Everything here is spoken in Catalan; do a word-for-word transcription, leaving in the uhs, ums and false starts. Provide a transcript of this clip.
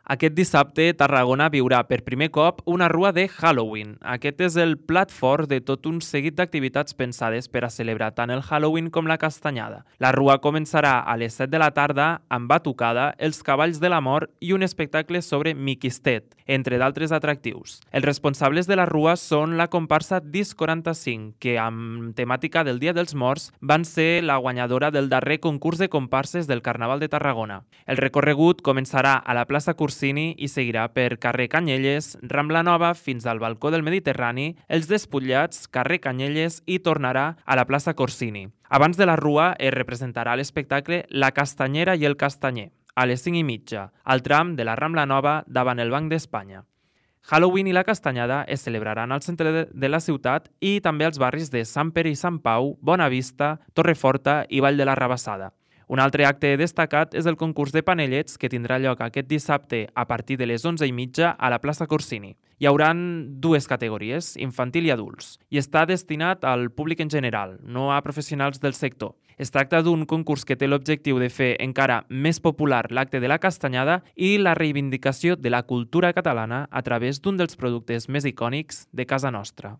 Aquest dissabte, Tarragona viurà per primer cop una rua de Halloween. Aquest és el plat fort de tot un seguit d'activitats pensades per a celebrar tant el Halloween com la castanyada. La rua començarà a les set de la tarda amb batucada, els cavalls de la mort i un espectacle sobre Miquistet, entre d'altres atractius. Els responsables de la rua són la comparsa Dis quaranta-cinc, que amb temàtica del Dia dels Morts van ser la guanyadora del darrer concurs de comparses del Carnaval de Tarragona. El recorregut començarà a la plaça Cursini i seguirà per carrer Canyelles, Rambla Nova fins al balcó del Mediterrani, els Despullats, carrer Canyelles i tornarà a la plaça Corsini. Abans de la rua es representarà l'espectacle La Castanyera i el Castanyer, a les cinc i mitja, al tram de la Rambla Nova davant el Banc d'Espanya. Halloween i la castanyada es celebraran al centre de la ciutat i també als barris de Sant Pere i Sant Pau, Bonavista, Torreforta i Vall de la Rabassada. Un altre acte destacat és el concurs de panellets que tindrà lloc aquest dissabte a partir de les onze i mitja a la plaça Corsini. Hi haurà dues categories, infantil i adults, i està destinat al públic en general, no a professionals del sector. Es tracta d'un concurs que té l'objectiu de fer encara més popular l'acte de la castanyada i la reivindicació de la cultura catalana a través d'un dels productes més icònics de casa nostra.